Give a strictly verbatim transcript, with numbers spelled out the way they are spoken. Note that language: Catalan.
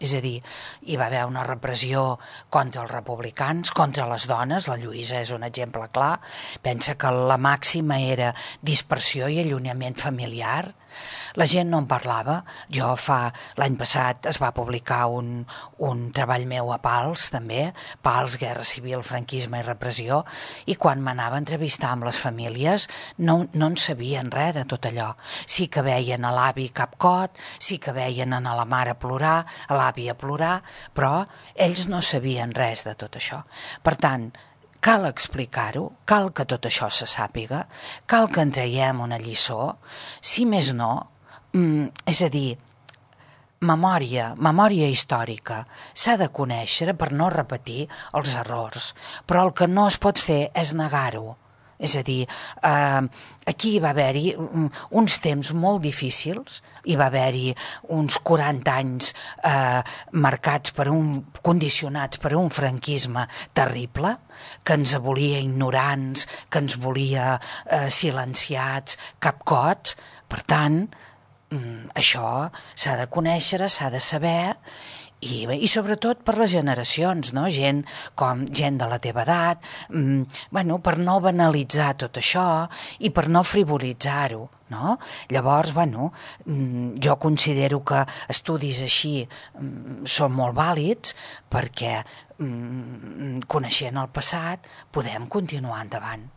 És a dir, hi va haver una repressió contra els republicans, contra les dones, la Lluïsa és un exemple clar, pensa que la màxima era dispersió i allunyament familiar, la gent no en parlava. Jo fa, l'any passat es va publicar un, un treball meu a Pals, també, Pals, Guerra Civil, Franquisme i Repressió, i quan m'anava a entrevistar amb les famílies no, no en sabien res de tot allò. Sí que veien a l'avi capcot, sí que veien a la mare plorar, a l'avi a plorar, però ells no sabien res de tot això. Per tant, cal explicar-ho, cal que tot això se sàpiga, cal que en traiem una lliçó, si més no, mm, és a dir, memòria, memòria històrica, s'ha de conèixer per no repetir els errors, però el que no es pot fer és negar-ho. És a dir, eh, aquí va haver-hi uns temps molt difícils, hi va haver-hi uns quaranta anys eh, marcats per un, condicionats per un franquisme terrible, que ens volia ignorants, que ens volia eh, silenciats, capcots. Per tant, mm, això s'ha de conèixer, s'ha de saber, I, i sobretot per les generacions, no? gent com gent de la teva edat, mm, bueno, per no banalitzar tot això i per no frivolitzar-ho. No? Llavors, bueno, mm, jo considero que estudis així mm, són molt vàlids perquè mm, coneixent el passat podem continuar endavant.